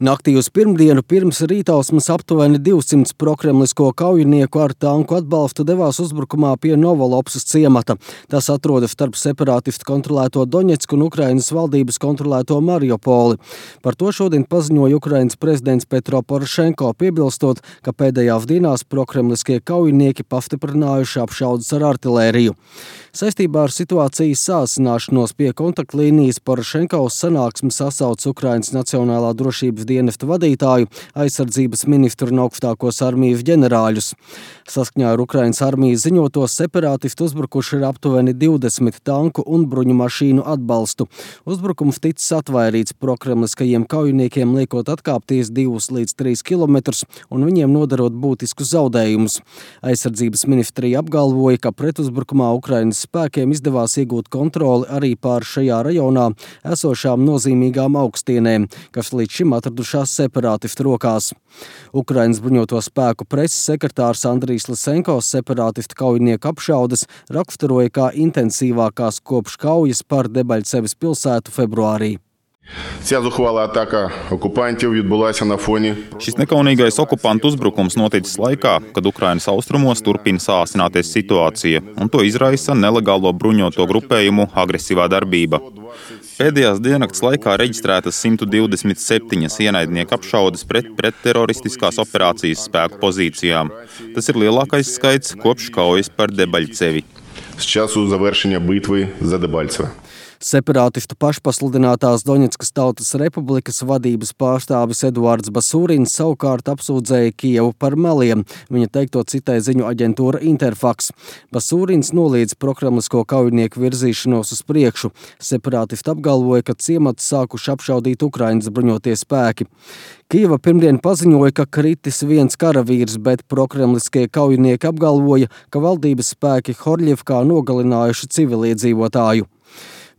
Naktī uz pirmdienu pirms rītausmas aptuveni 200 prokremlisko kaujinieku ar tanku atbalstu devās uzbrukumā pie Novolopsas ciemata. Tas atrodas starp separātistu kontrolēto Doņetsku un Ukrainas valdības kontrolēto Mariupoli. Par to šodien paziņoja Ukrainas prezidents Petro Porošenko, piebilstot, ka pēdējās dienās prokremliskie kaujinieki pastiprinājuši apšaudes ar artilēriju. Saistībā ar situācijas sāsināšanos pie kontaktlīnijas Porošenko uz sanāksmi sasauc Ukrainas Nacionālā drošības dienesta vadītāju, aizsardzības ministru un augstākos armijas ģenerāļus. Saskaņā ar Ukrainas armijas ziņoto separātisti uzbrukuši ir aptuveni 20 tanku un bruņu mašīnu atbalstu. Uzbrukums ticis atvairīts prokremliskajiem kaujiniekiem, liekot atkāpties 2 līdz 3 kilometrus un viņiem nodarot būtiskus zaudējumus. Aizsardzības ministrija apgalvoja, ka pretuzbrukumā Ukrainas spēkiem izdevās iegūt kontroli arī pār šajā rajonā esošām nozīmīgām augstienēm, kas līdz šim atradušās separātistu rokās. Ukrainas bruņoto spēku preses sekretārs Andrijs Lisenko separātistu kaujinieku apšaudes raksturoja kā intensīvākās kopš kaujas par Debaļceves pilsētu februārī. Šis nekaunīgais okupantu uzbrukums noticis laikā, kad Ukrainas austrumos turpina sāsināties situācija, un to izraisa nelegālo bruņoto grupējumu agresīvā darbība. Pēdējās diennakts laikā reģistrētas 127 ienaidnieku apšaudes pret pretteroristiskās operācijas spēku pozīcijām. Tas ir lielākais skaits kopš kaujas par Debaļcevi. Separātistu pašpasludinātās Doņetskas Tautas Republikas vadības pārstāvis Eduards Basūrins savukārt apsūdzēja Kijevu par meliem. Viņa teikto citēja ziņu aģentūra Interfax. Basūrins noliedz prokremlisko kaujinieku virzīšanos uz priekšu. Separātisti apgalvoja, ka ciemats sākuši apšaudīt Ukrainas bruņotie spēki. Kijeva pirmdien paziņoja, ka kritis viens karavīrs, bet prokremliskie kaujinieki apgalvoja, ka valdības spēki Horļevkā nogalinājuši civiliedzīvotāju.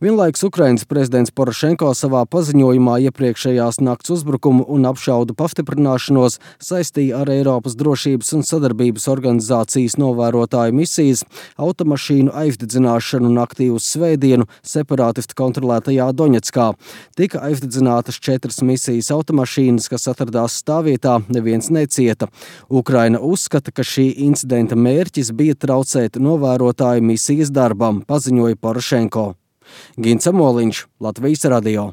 Vienlaikus Ukrainas prezidents Porošenko savā paziņojumā iepriekšējās nakts uzbrukumu un apšaudu pastiprināšanos saistīja ar Eiropas drošības un sadarbības organizācijas novērotāju misijas automašīnu aizdedzināšanu naktī uz svētdienu separātistu kontrolētajā Doņetskā. Tika aizdedzinātas 4 misijas automašīnas, kas atradās stāvvietā, neviens necieta. Ukraina uzskata, ka šī incidenta mērķis bija traucēt novērotāju misijas darbam, paziņoja Porošenko. Gints Amoliņš, Latvijas radio.